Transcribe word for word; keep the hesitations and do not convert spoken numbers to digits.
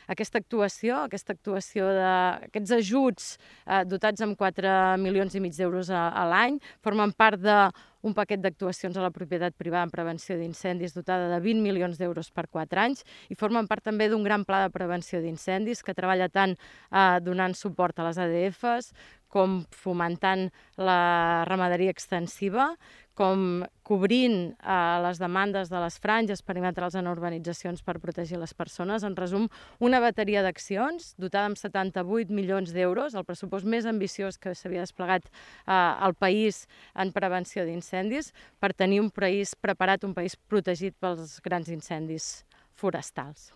Aquesta actuació, aquesta actuació d'aquests ajuts eh, dotats amb quatre milions i mig d'euros a, a l'any formen part d'un paquet d'actuacions a la propietat privada en prevenció d'incendis dotada de vint milions d'euros per quatre anys i formen part també d'un gran pla de prevenció d'incendis que treballa tant eh, donant suport a les A D Fs com fomentant la ramaderia extensiva, com cobrint eh, les demandes de les franges perimetrals en urbanitzacions per protegir les persones. En resum, una bateria d'accions dotada amb setanta-vuit milions d'euros, el pressupost més ambiciós que s'havia desplegat eh, al país en prevenció d'incendis, per tenir un país preparat, un país protegit pels grans incendis forestals.